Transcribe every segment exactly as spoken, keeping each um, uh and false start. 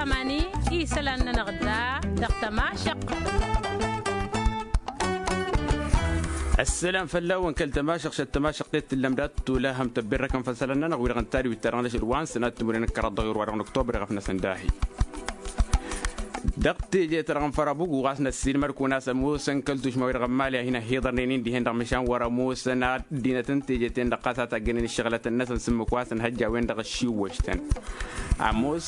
Ămani isălan-nănăɣ da dăɣ-tămašăqt. Ăssălam fălla-wăn kăl-tămašăqt šăt tămašăqt-et tǝllăm dat-tolăhăm tăbberrăkăn făll-isălan-nănăɣ wi-dăɣ n-tariwit-ta-dăɣ n-ašăl wa n-sănat timǝrwen n-kăraḍ dăɣ-irwa dăɣ-năktobăr iɣăf-năsăn dahi. Dăɣ-teje-ta-dăɣ n-fărabugu ɣas năssiilmăd-kăwăn a-s ămoosăn kăl-tušma-wi-dăɣ n-imali a hin-ăhhiḍărnen-in dihen-dăɣ măšan wăr-ămoosăn ăddinăt n-teje-ten-dăɣ ɣas a taggănen ǝššăɣlătăn-năsăn s-ǝmmǝk wa s-ănhăjja a-wen-dăɣ ăššiwwăš-tăn. Ămoos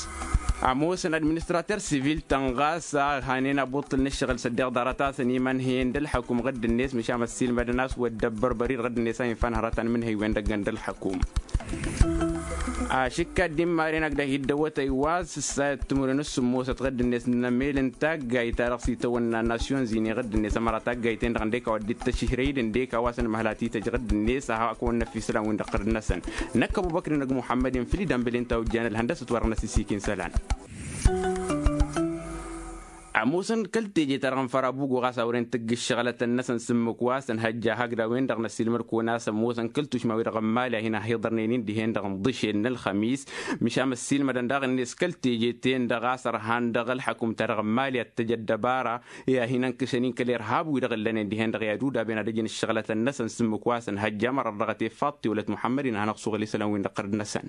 ămoosăn administrater sivil-tăn ɣas a hanen abuṭṭǝl n-ǝššăɣǝl s-ăddeɣ ḍarăt-asăn imănhăyăn d-ălxăkum ɣǝdd-net măšan ăssiilmădăn a-s wăr dd-ăbbărbăr-i-dăɣ ɣǝdd-net a infa n-hărăt anmǝnhăy-wen-dăɣ ǝggăn d-ălxăkum. Ašǝkka dd-immaren agdăh iddăwătăy wa s-ǝssayăt timǝrwen s-sǝmmosăt ɣǝdd-net n-emel n-taggayt-ta-dăɣ s-itawănna nasyon zine ɣǝdd-net ămăra taggayt-en-dăɣ ǝndek a-wa dd-ittăššǝhrăy-dd ǝndek a-wa s-ănmăhăl a t-ităjj ɣǝdd-net a hak-wăn-năffi isălan-win-dăɣ tărǝd-năsăn. Năkk ăbubăkr-in ăgg muḥămmăd-in făll-idănbăl-in ta ojjan ălhăndăsăt wa dăɣ-năsisikin isălan. Ămoosăn kăl-teje-ta-dăɣ n-fărabugu ɣas a wăren tǝgg ǝššăɣlătăn-năsăn s-ǝmmǝk wa s-ănhăjja hakd a-wen-dăɣ năssiilmăd-kăwăn a-s ămoosăn kăl-tušma-wi-dăɣ n-imali a hin-ăhhiḍărnen-in dihen-dăɣ n-iḍǝšel n-ălxămis. Măšan ăssiilmădăn daɣ-net kăl-teje-ten-dăɣ a-s ărhan dăɣ-ălxăkum-ta-dăɣ n-imali ad-t-tăj ăddăbara i-ad-hin-ănkăšăn-in kăl-irhab-wi-dăɣ ǝllănen dihen-dăɣ i-ad-udaben ad-ăjǝn ǝššăɣlătăn-năsăn s-ǝmmǝk wa s-ănhăjja mărăt dăɣ-tefaḍt tiwălăt muḥămmăd-in ad-hanăɣ-suɣǝl isălan-win-dăɣ tărǝd-năsăn.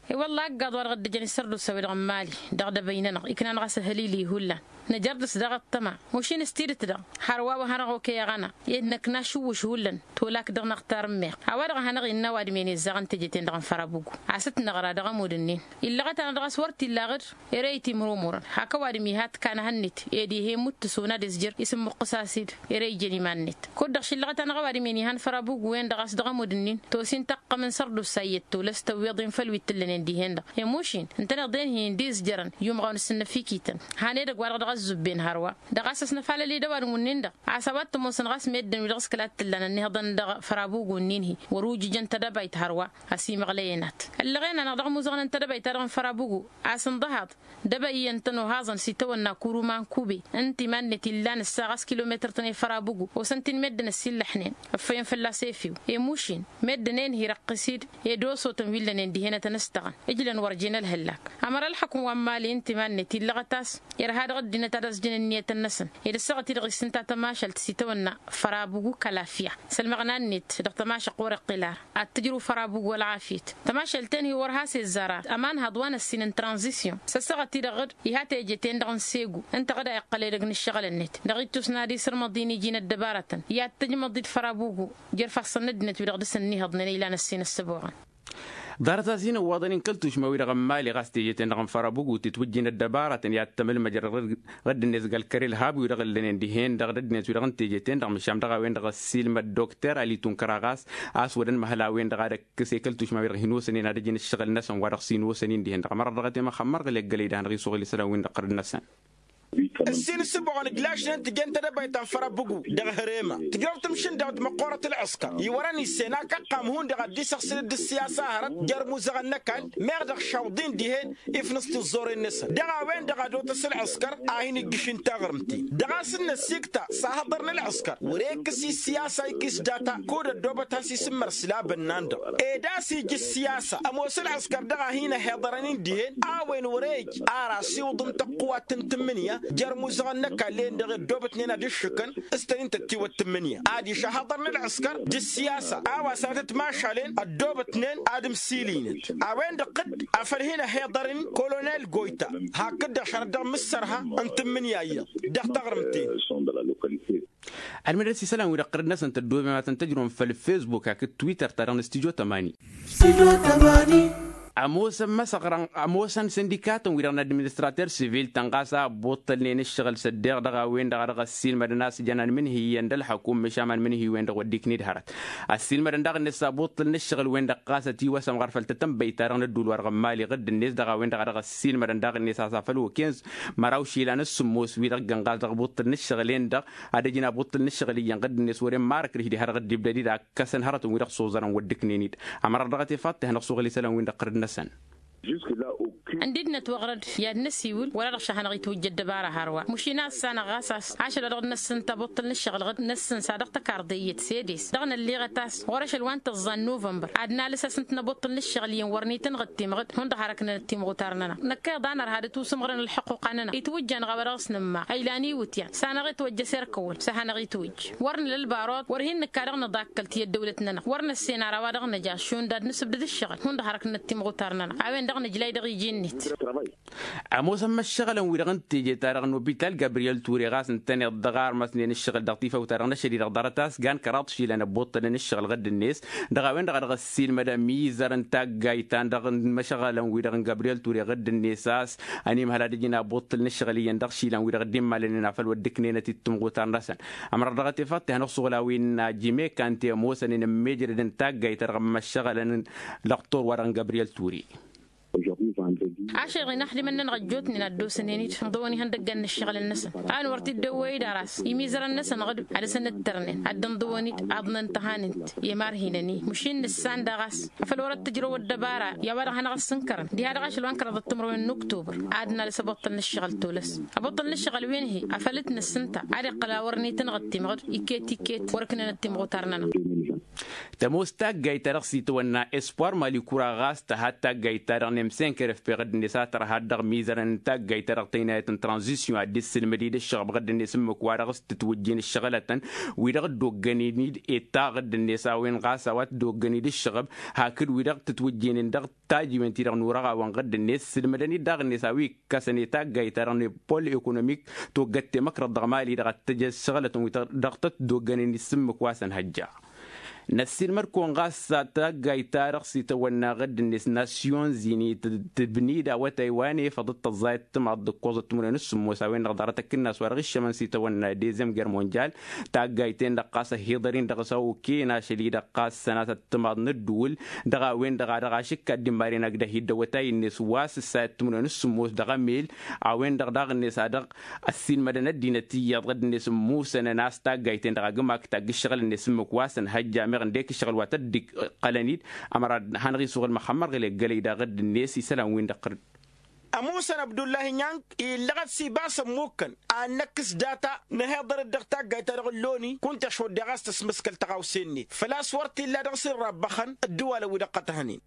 I-wălla ăggaḍ-wa-dăɣ dd-ǝjăn isărdusa-wi-dăɣ n-imali dăɣ-idăbăy-nănăɣ iknan ɣas ăhălili hullan. Nǝjărdǝs daɣ ăṭṭăma mušin s-tidǝt-dăɣ hărwa wa hanăɣ-okăy aɣăna ed năkna ašǝwwǝš hullan. Tolak dăɣ-năɣ tarǝmmeɣ a-wa-dăɣ a hanăɣ-innă ăwadǝm-en izzăɣăn teje-ten-dăɣ n-fărabugu. A-s t-năɣra dăɣ-ămudd-nin illăɣăt-anăɣ dăɣ-a-s wăr t-illa aɣǝd. Ere itimrumurăn hak ăwadǝm iha ǝtkan ehăn-net ed ih'-e imuttǝs onad izjăr isǝmmuqqǝs-as-dd. Ere ijăn iman-net kud-dăɣ šillăɣăt-anăɣ ăwadǝm-en ihăn fărabugu-en-dăɣ a-s dăɣ-ămudd-nin tosin taqqăm n-sărdusa iyyăt tolăs tăwweḍ-in făll-wi t-tǝllănen dihen-dăɣ i-mušin ǝntăneḍ-en-hi dd-izjărăn i-umɣaw n-asǝnnăfikităn. Han edăgg-wa-dăɣ dăɣ-ăzzuben hărwa dăɣ-a-s ăsnăfalăl-dd ăwadǝm-wǝnnin-dăɣ a-s a-wa t-ămoosăn ɣas meddǝn-wi-dăɣ s-kăla t-tǝllan ănniihăḍăn dăɣ-fărabugu-nin-hi wăr-ujǝjăn tadăbayt hărwa. Ăsimăɣlăy-enat ăllăɣen-anăɣ dăɣ-imuzăɣăn n-tadăbayt-ta-dăɣ n-fărabugu a-s ǝnḍăhaḍ dăbayăn-tăn ohăẓăn s-itawănna kuruma n-kube ǝnta iman-net illan ǝssa ɣas kilometăr-tăn i-fărabugu osăn-t-in meddǝn ăsillăḥnen ăffăyăn fălla-s efew i-mušin meddǝn-en hi-răqqǝs-dd ed osotăn wi ǝllănen dihen-etăn ǝstăɣăn. Ǝjlăn wăr jen ălhăllak ămăra ălxăkum wa n-imali ǝnta iman-net illăɣăt-as irha dăɣ-ăddinăt ad-ăẓjǝn ǝnniyătăn-năsăn ed ăssaɣăt-i-dăɣ isǝnta tămašalt s-itawănna fărabugu kălafya s-ălmăɣna-net dăɣ-tămašăq wăr-iqqǝl ara. Ad-tǝjrǝw fărabugu ălɣafyăt tămašalt-en-hi wăr has-izzar ara ămanhăḍ wa n-ăssin n-tranzisyon s-ăssaɣăt-i-dăɣ dd-iha teje-ten-dăɣ n-segu ǝnta ɣǝd a iqqăl edăgg n-ǝššăɣǝl-net dăɣ-ittus n-ad-isǝrmăḍ i-iji n-ăddăbarătăn i-ad-tǝjmăḍ-dd fărabugu. Jer-ifassăn n-ăddinăt-wi-dăɣ dăr-s ănniihăḍnen ilan ăssin ăssăboɣăn. Ḍarăt-as-in ǝwwaḍăn-in kăl-tušma-wi-dăɣ n-imali ɣas teje-ten-dăɣ n-fărabugu titwǝjjin ăddăbarătăn i-ad-tămălmăjrăd ɣǝdd-net gal kăre ălhab-wi-dăɣ ǝllănen dihen-dăɣ d-ăddinăt-wi-dăɣ n-teje-ten-dăɣ măšan dăɣ-a-wen-dăɣ ăssiilmăd dokter ali tunkăra ɣas a-s wăr-ănmăhăl a-wen-dăɣ ad-ăkkăs i-kăl-tušma-wi-dăɣ hin-osănen ad-ăjǝn ǝššăɣǝl-năsăn wa dăɣ-s hin-osăn-in dihen-dăɣ ămăra dăɣ-t i-măxxămmăr ɣǝl eggălăy d-ad-hanăɣ-isuɣǝl isălan-win-dăɣ tărǝd-năsăn. Ǝssin ǝssǝboɣăn ǝjlašnen tǝjăn tedăbayt ta n-fărăbbugu dăɣ-hărema tǝjrăw tǝmšǝndawt măqqoorăt ălɣǝskăr iwărăn issen akăqqam hundăɣ ad-dd-isăɣsǝl d-ǝssiyasa hărăt jer-imuzăɣăn n-ăkall meɣ dăɣ-išawḍin dihen. Ifnǝs tiẓẓoren-năsăn dăɣ-a-wen-dăɣ ad-otăs ălɣǝskăr a hin-ǝjjǝš n-taɣrǝmt-in dăɣ-a-s ǝnnăsikt ta s-ahăḍărăn ălɣǝskăr wăr-e ǝkkǝs i-ǝssiyasa ikis data kud-ăddoobăt has-isǝmmăr s-labănna-n-dăɣ ed a-s ija ǝssiyasa ămoos ălɣǝskăr dăɣ-a hin-ăhiḍărăn-in dihen a-wen wăr-e ǝjj ar asiwǝḍ n-tăqqǝwat n-tǝmmǝnǝya jer-imuzăɣăn n-ăkall-en-dăɣ i-ăddoobătnen ad-ǝššǝkăn s-tăn-in tătiwăt tǝmmǝnǝya adiš ăhhăḍăr n-ălɣǝskăr d-ǝssiyasa a-wa sănătăt mašalen ăddoobătnen ad-ǝmsilinăt a-wen-dăɣ tăt afăl hin-ăhiḍărăn kolonel goyta hakd-dăɣ šărăt dăɣ-imǝssărha n-tǝmmǝnǝya iyyăḍ dăɣ-taɣrǝmt-en. Ălmădăs isălan-wi-dăɣ tărăd-năsăn tăddoobem ad-tăn-tăjrǝwăm făll-fesbuk hakd twitter-ta-dăɣ n-studyo tămani. Ămoosăn măsăɣrăn ămoosăn sindikatăn-wi-dăɣ n-administrater sivil-tăn ɣas a ăbbuṭṭălnen ǝššăɣǝl s-ăddeɣ dăɣ-a-wen-dăɣ a dăɣ-ăssiilmădăn a-s jăn anmǝnhǝyyăn d-ălxăkum măšan anmǝnhǝy-wen-dăɣ wăr dd-iknǝy d-hărăt. Ăssiilmădăn daɣ-net s-abuṭṭǝl n-ǝššăɣǝl-wen-dăɣ ɣas ătiwăsăm ɣur-făll-tătănbăy-ta-dăɣ n-ădduul wa dăɣ-n mali ɣǝdd-net dăɣ-a-wen-dăɣ a dăɣ-ăssiilmădăn daɣ-net a-s afăl okăyăn măraw išilan s-sǝmmos wi-dăɣ ǝggăn ɣas dăɣ-abuṭṭǝl n-ǝššăɣǝl-en-dăɣ ad-ăjǝn abuṭṭǝl n-ǝššăɣǝl iyyăn ɣǝdd-net wăren marăkrǝš diha dăɣ-dd-ibdăd-dd a ǝkkăsăn hărătăn wi-dăɣ s-oẓărăn wăr dd-ǝknen-dd. Ămăra dăɣ-tefaḍt-i hanăɣ-suɣǝl isălan-win-dăɣ tărǝd-năsăn. Žusk la. Ǝndidnăt wăɣrăd i-ad-năsiwǝl wăla-dăɣ šahănăɣ-itwǝjja ăddăbara hărwa. Măšin a-s sanăɣ ɣas a-s ašăl-wa-dăɣ d-năssǝnta abuṭṭǝl n-ǝššăɣǝl ɣǝd năssǝnsa dăɣ-tăkarḍe iyyăt s-edes dăɣ-nălliɣăt a-s ɣur-ašăl wa n-tăẓẓa n-nuvănbăr ad-nalǝs-asǝnt n-abuṭṭǝl n-ǝššăɣǝl iyyăn wăr nitǝnɣǝd timɣǝd hundăɣ hărăknănăt timɣutar-nănăɣ. Năkk a iḍa nărha d-tusǝmɣǝrăn ălḥuqquqa-nănăɣ itwǝjja-năɣ a-wa dăɣ-s nǝmmaɣ ăylan iwǝtyan s-anăɣ-itwăjj ăserkăwăn s-ad-hanăɣ-itwǝjj. Wăr nǝla ălbarot wăr hin-nǝkka dăɣ-nǝḍakkăl ti ăddăwlăt-nănăɣ wăr năssen ara a-wa dăɣ-nǝja šund ad-nǝsǝbdǝd ǝššăɣǝl hundăɣ hărăknăt timɣutar-nănăɣ a-wen dăɣ-nǝjlay dăɣ-iji-net. Ămoosăn măššăɣǝlăn-wi-dăɣ n-teje-ta-dăɣ n-opital gabriyel ture ɣas ǝntăneḍ dăɣ-armăsnen ǝššăɣǝl dăɣ-tifăw-ta-dăɣ n-ašăl-i-dăɣ ḍarăt a-s gan kăraḍ išilan ăbbuṭṭălăn ǝššăɣǝl ɣǝdd-net. Dăɣ-a-wen-dăɣ a dăɣ-ăssiilmăd ămizăr n-taggayt ta n-dăɣ n-imăšăɣălăn-wi-dăɣ n-gabriyel ture ɣǝdd-net a-s ănimhăl ad-ǝjǝn abuṭṭǝl n-ǝššăɣǝl iyyăn dăɣ-išilan-wi-dăɣ dd-immalănen afăl wăr dd-ǝknenăt-dd timɣutar-năsăn. Ămrăr dăɣ-tefăḍt ihănăɣ-suɣǝl a-wen n-ajimekante ămoosăn inǝmmejrăd n-taggayt ta dăɣ-imăššăɣălăn dăɣ-tor wa-dăɣ n-gabriyel ture. Ašăl-i-dăɣ inaxdimăn-nănăɣ ăjjootnen ad-dd-osănen-dd ǝnḍăwăn ihăndăggan n-ǝššăɣǝlăn-năsăn a ănwăr t-dd-ăwwăy-dd aras imizărăn-năsăn ɣǝd ad-dăɣ-săn ǝttărnen ad-dd-ǝnḍăwăn-dd aḍnăn tăhanǝnt i-imarhinăn-i măšin nǝssan daɣ a-s afăl wăr-ăttǝjrăw ăddăbara i-a-wa dăɣ-hanăɣ-ăssǝnkărăn diha dăɣ-ašăl wa n-kăraḍăt timrăwen n-uktubăr ad-nalăs abăṭṭăl n-ǝššăɣǝl tolăs. Abăṭṭăl n-ǝššăɣǝl wi n-hi afăl t-nǝssǝnta ad-iqqăl a wăr nitǝnɣǝd timɣǝd iket-iket wăr-ǝknănăt timɣutar-nănăɣ. Tămoos taggayt-ta-dăɣ s-itawănna espoir malikura ɣas tăha d-taggayt-ta-dăɣ n-emsenker efpeɣ dd-net a tărha dăɣ-mizărăn n-taggayt-ta-dăɣ tăynayăt n-tranzisyon ad-dd-issǝlmăd-dd ǝššăɣăb ɣǝdd-net ǝmmǝk-wa-dăɣ s-tǝtwǝjjen ǝššăɣǝlătăn wi-dăɣ dd-oggănen-dd eta ɣǝdd-net a-wen ɣas a-wa t-dd-oggănen-dd ǝššăɣăb hakd wi-dăɣ tǝtwǝjjenen dăɣ-tajiwen-ti-dăɣ n-urăɣawăn ɣǝdd-net sǝlmădăn-dd daɣ-net a-wi ǝkkăsăn i-taggayt-ta-dăɣ n-epol ekonomik toggăt temăkrăḍ dăɣ-mali dăɣ-ad-tăj ăššăɣǝlătăn wi dăɣ-tăt-dd-oggănen-dd s-ǝmmǝk wa s-ănhăjja. Năssiilmăd-kăwăn ɣas taggayt-ta-dăɣ s-itawănna ɣǝdd-net nasyon zini tǝbni-dd awătay wa n-efăḍ d-tăẓẓayăt timaḍt d-ǝkkoẓăt timǝrwen s-sǝmmos a-wen-dăɣ ḍarăt ăkkǝnnas wa dăɣ-iššămăn s-itawănna dezem ger monjal. Taggayt-en-dăɣ ɣas ăhhiḍăr-in dăɣ-s a oken ašăl-i-dăɣ ɣas sănatăt timaḍ n-ǝddǝwǝl dăɣ-a-wen-dăɣ a dăɣ-ašǝkka dd-immaren agdăh-dd awătay-net wa s-ǝssayăt timǝrwen s-sǝmmos dăɣ-emel. A-wen-dăɣ daɣ-net a dăɣ-ăssiilmădăn ăddinăt iyyăḍ ɣǝdd-net ǝmmusănăn a-s taggayt-en-dăɣ agǝmak tagg ǝššăɣǝl-net ǝmmǝk wa s-ănhăjja meɣ ǝndek ǝššăɣǝl wa tăt-dd-iqqălăn-dd. Ămăra hanăɣ-isuɣǝl măxămmăr ɣǝl eggălăy daɣ ɣǝdd-net isălan-win-dăɣ qărǝd. Ămuusăn abdullahi nyank illăɣăt s-ibas ămmukkăn ad-năkkǝs data nǝhiḍăr-dd dăɣ-taggayt-ta-dăɣ ǝlloni kunta šoddeɣ a-s tăsmǝskăl tăɣawse-net făl-a-s wăr t-illa dăɣ-s irrabbăxăn ăddǝwalăn-wi-dăɣ qătăhnen.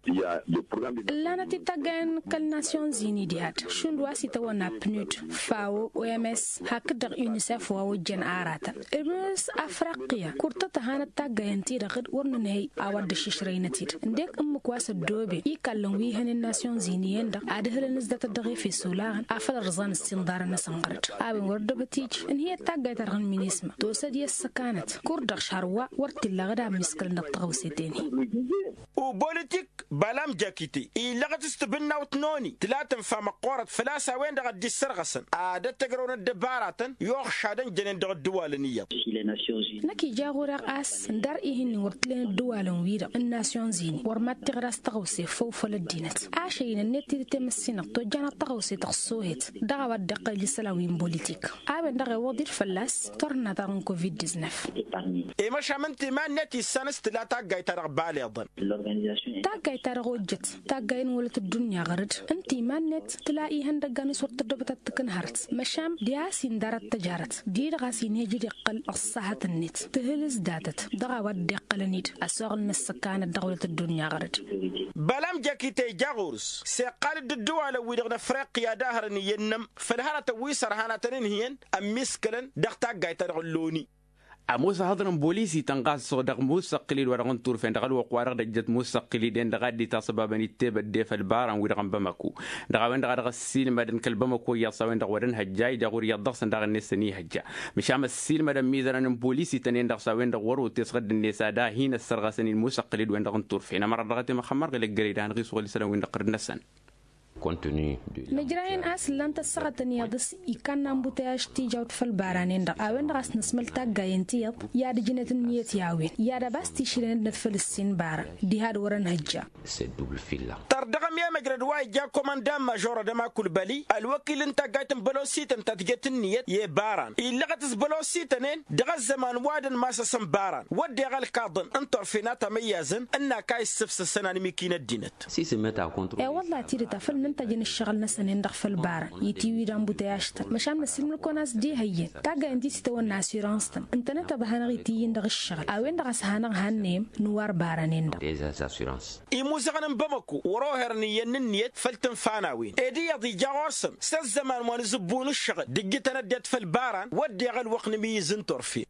Ǝllanăt-dd taggayen n-kăl-nasyon zini diha-dd šund wa s-itawănna pnud, fawo, oms hakd-dăɣ unisef wa ojjăn aratăn. Ǝmǝs afriqya kur tăt-ăhanăt taggayen-ti-dăɣ d-wăr nǝnhăy a-wa dd-ăššǝšrăynăt-dd ǝndek ǝmmǝk wa s-ăddooben ikallăn wi hănen nasyon zini-en-dăɣ ad-ǝhlăn s-datăt dăɣ-efes olaɣăn afăl ărẓan ǝssinḍarăn-năsăn ɣăr-dd. A-wen wăr ăddăbăt ija ǝnhǝyăt taggayt-ta-dăɣ n-minisma tosăd i-ăssăkanăt kur-dăɣ šar wa wăr t-illa ɣǝd a ămmiskălăn dăɣ-taɣăwse-ten-hi. Ubolătik balam jakite illăɣăt s-tibǝnnawt n-oni tǝla tǝnfa măqqoorăt făl-a-s a-wen-dăɣ a dd-issărɣăsăn ad-ăttăjrăwăn ăddăbaratăn i-uxšadăn jănen dăɣ-ăddǝwalăn iyyăḍ. Năkk ija ɣur-eɣ a-s ǝndar ih'-in wăr t-len ăddǝwalăn-wi-dăɣ n-nasyon zini wăr mad-tiɣǝd a-s taɣăwse făw făll-ăddinăt. Ašăl-i n-ănniyăt tidǝt i-măssinăɣ tojjanăt taɣăwse tăɣsohet dăɣ-a-wa dd-iqqăl isălan wi n-bolitik. A-wen-dăɣ ewăḍ-dd fălla-s tărna-ta-dăɣ n-covid-diznăf. Emăšam n-timan-net issan s-tǝla taggayt-ta-dăɣ baleḍăn. Taggayt-ta-dăɣ ojjăt taggayen wălăt ăddunya ɣăr-dd ǝnta iman-net tǝla ihăndăggan s-wăr tăddobăt ad-t-tǝkǝn hărăt. Măšan diha a-s indar ad-t-ăj hărăt di-dăɣ a-s inhej d-iqqăl ăṣṣahăt-net tǝhǝlǝs datăt dăɣ-a-wa dd-iqqălăn-dd ăsoɣǝl n-ăssăkanăt dăɣ-wălăt ăddunya ɣăr-dd. Bălam jăkite ija ɣur-s s-iqqal-dd ǝddǝwalăn-wi-dăɣ n-afriqya d-ahărăn iyyăn-nămm făll-hărătăn wi s-ărhan ad-tăn-ǝnhǝyăn ămmiskălăn dăɣ-taggayt-ta-dăɣ ǝlloni. Ămoos ahăḍăn n-bolis itănɣas dăɣ-musa ăqqǝlil wa dăɣ-n-turfen dăɣ-ălwăqq wa dăɣ-dăjjăt musa ăqqǝlil-en dăɣ-a dd-itasăbabăn ittebădde făll-ibaran-wi-dăɣ n-bamako. Dăɣ-a-wen-dăɣ a dăɣ-ăssiilmădăn kăl-bamako iyyăḍ s-a-wen-dăɣ wăr-ănhăjja ija ɣur-iyyăḍ dăɣ-săn daɣ-net săn ihăjja. Măšan ăssiilmădăn mizărăn n-bolis itănen-dăɣ s-a-wen-dăɣ wăr-otes ɣǝdd-net ad-ahin ăssărɣăsăn-in musa ăqqǝlil-wen-dăɣ n-turfen ămăra dăɣ-t i-măxămmăr ɣǝl ăggălăy d-ad-hanăɣ-isuɣǝl isălan-win-dăɣ ɣǝr-năsăn. Nǝjrayăn a-s ǝllan-t ăssaɣătăn iyyăḍ s-ikanna ănbutăyaž tijawt făll-ibaranen-dăɣ a-wen-dăɣ a-s nǝsmăl taggayen ti iyyăḍ i-ad-ǝjnăt ǝnniyăt i-a-wen i-ad-ăbas tišrăyăn ăddinăt făll-ǝssin ibaran diha d-wăr-ănhăjja. Dăɣ-ememăjrăd wa ija komandan mažor adăma kulbăli ălwăkil n-taggayt n-bălosităn ta tǝjet ǝnniyăt i-baran illăɣăt s-bălosităn-en dăɣ-ăzzăman wa dăn-masăsăn baran wădden ălkaḍăn n-turfen a tamăyyazăn ǝnn'-ak a issǝfsǝsăn anǝmik-in ăddinăt. E-wălla tidǝt afăl nǝntăjăn ǝššăɣǝl-năsăn-en-dăɣ făll-baran itiwǝy d-anbutăyaš-tăn măšan măsilmǝl-kăwăn a-s d-ihăyyăn taggayen ti s-itawănna assurans-tăn ǝntănăt ăbhanăɣ-itǝyyǝn dăɣ-ǝššăɣǝl a-wen-dăɣ a-s hanăɣ-hannăyăm nǝwar baran-en-dăɣ. Imuzăɣăn n-bamăko wăr-oherăn iyyăn n-ǝnniyăt făll-tǝnfa n-a-wen ed iyyăḍ ija ɣur-săn s-ăzzăman wa n-azǝbbu n-ǝššăɣǝl d-ǝjjǝtăn ăddinăt făll-baran wădden ălwăqq n-imǝyyǝz n-turfen.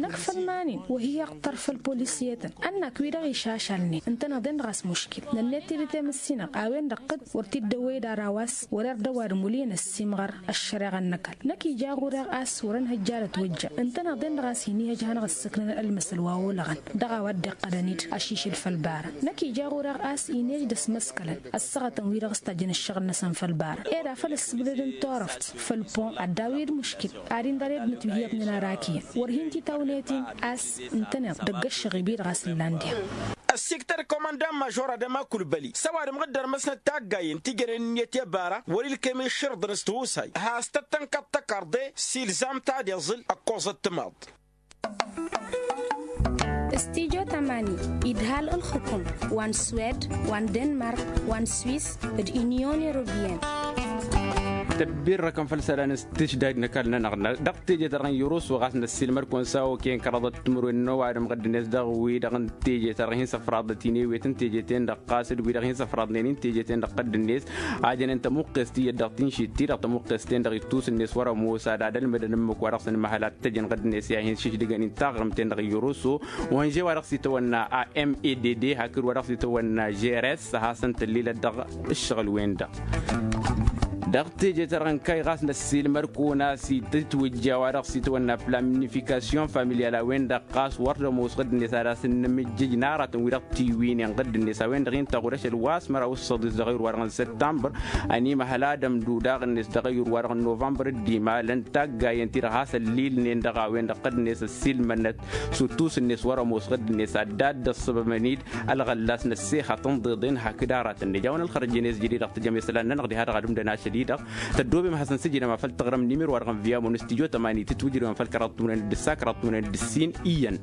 Năkk făll-iman-in wăr hi-iɣtăr făll-polisiyetăn ănnak-wi-dăɣ išašalnen ǝntăneḍ-en-dăɣ a-s muškil nănnet tidǝt i-măssinăɣ a-wen-dăɣ ɣǝd wăr t-dd-ăwwăy d-ara wa s-wăr-ird ăwadǝm wăl' iyyăn ăssiimɣăr ăššăreɣa n-ăkall. Năkk ija ɣur-eɣ a-s wăr-ănhăjja ad-ătwăjja ǝntăneḍ-en-dăɣ a-s hin-ihăj hanăɣ-ǝssǝknăn ălmăsăl wa olăɣăn dăɣ-a-wa dd-iqqădăn-dd ašišǝl făll-baran. Năkk ija ɣur-eɣ a-s hin-ihăj d-ăsmăskălăn ăssaɣătăn-wi-dăɣ s-tajjăn ǝššăɣǝl-năsăn făll-baran ed afăl ǝssǝbdăd n-turăft făll-pon ad-dawǝy d-muškil ad-indăr ed mǝtwǝhyăḍnen arak iyyăn wăr hin-titawnet-in a-s ǝntăneḍ dăgg-ăššăɣib-i-dăɣ a-s ǝllan diha. Ăssiktăr komandan mažor adăma kulbăli s-ăwadǝm ɣǝddărmăsnăt taggayen ti jănen ǝnniyăt i-bara wăr-ilkem iššǝrǝḍăn s-tihusay has-tăt-tănkăḍ tăkarḍe s-ilzam ta d-iẓǝl ăkkoẓăt timaḍ. Stijo tamani idhal ǝlxǝkum wa n-swed wa n-denmark wa n-swis d-inyon europiyăn. Tăbbirrăkăn făll-isălan s-tǝšdaj n-ăkall-nănăɣ dăɣ-teje-ta-dăɣ n-irusu ɣas năssiilmăd-kăwăn s-a okăyăn kăraḍăt timǝrwen n-ăwadǝm ɣǝdd-net dăɣ-wi-dăɣ n-teje-ta-dăɣ hin-săfraḍăt-in ewet n-teje-ten-dăɣ ɣas d-wi-dăɣ hin-săfraḍnen-in teje-ten-dăɣ ɣǝdd-net. A jănen tămuqqest iyyăt dăɣ-tinšit-ti-dăɣ tămuqqest-ten-dăɣ ittus-net wăr-ămoos ad-ad-ălmădăn ǝmmǝk wa dăɣ-săn imăhăl ad-t-ăjăn ɣǝdd-net i-ad-hin-sišdǝgăn-in taɣrǝmt-en-dăɣ iyyăruso. Wa n-žewa dăɣ-s itawănna a m e d d hakd wa dăɣ-s itawănna žeres a hasăn-tăllilăt dăɣ-ǝššăɣǝl-wen-dăɣ. Dăɣ-teje-ta-dăɣ n-kăy ɣas năssiilmăd-kăwăn a-s itǝtwǝjja wa dăɣ-s itawănna planifikasyon familiyal a-wen-dăɣ ɣas wăr t-ămoos ɣǝdd-net ad-asǝnnǝmǝjjǝj n-aratăn wi-dăɣ tiwǝynen ɣǝdd-net a-wen-dăɣ-in tăɣud ašăl wa s-măraw s-săḍis dăɣ-ayǝr-wa-dăɣ n-săttămbăr. Ănimăhăl ad-ămdud aɣǝn-net dăɣ-ayǝr-wa-dăɣ n-novămbăr dd-imalăn taggayen-ti-dăɣ has-ăllilnen dăɣ-a-wen-dăɣ ɣǝdd-net ăssiilmănăt s-uttus-net wăr-ămoos ɣǝdd-net ad-dd-ăssăbămăn-dd ălɣăllas n-ăssexăt n-iḍeḍen hakd aratăn n-ejawăn ălxărăjăn i-s jădid dăɣ-tijăm isălan-nănăɣ diha dăɣ-adǝm d-ănašăl-i-dăɣ. Tăddoobem ad-hasăn-sǝjǝdăm afăl taɣrăm n-imir wa dăɣ-n viyamon s-tijo tămani tǝtwǝjrǝwăn făll-kăraḍ timǝrwen d-ǝssa kăraḍ timǝrwen d-ǝssin iyyăn.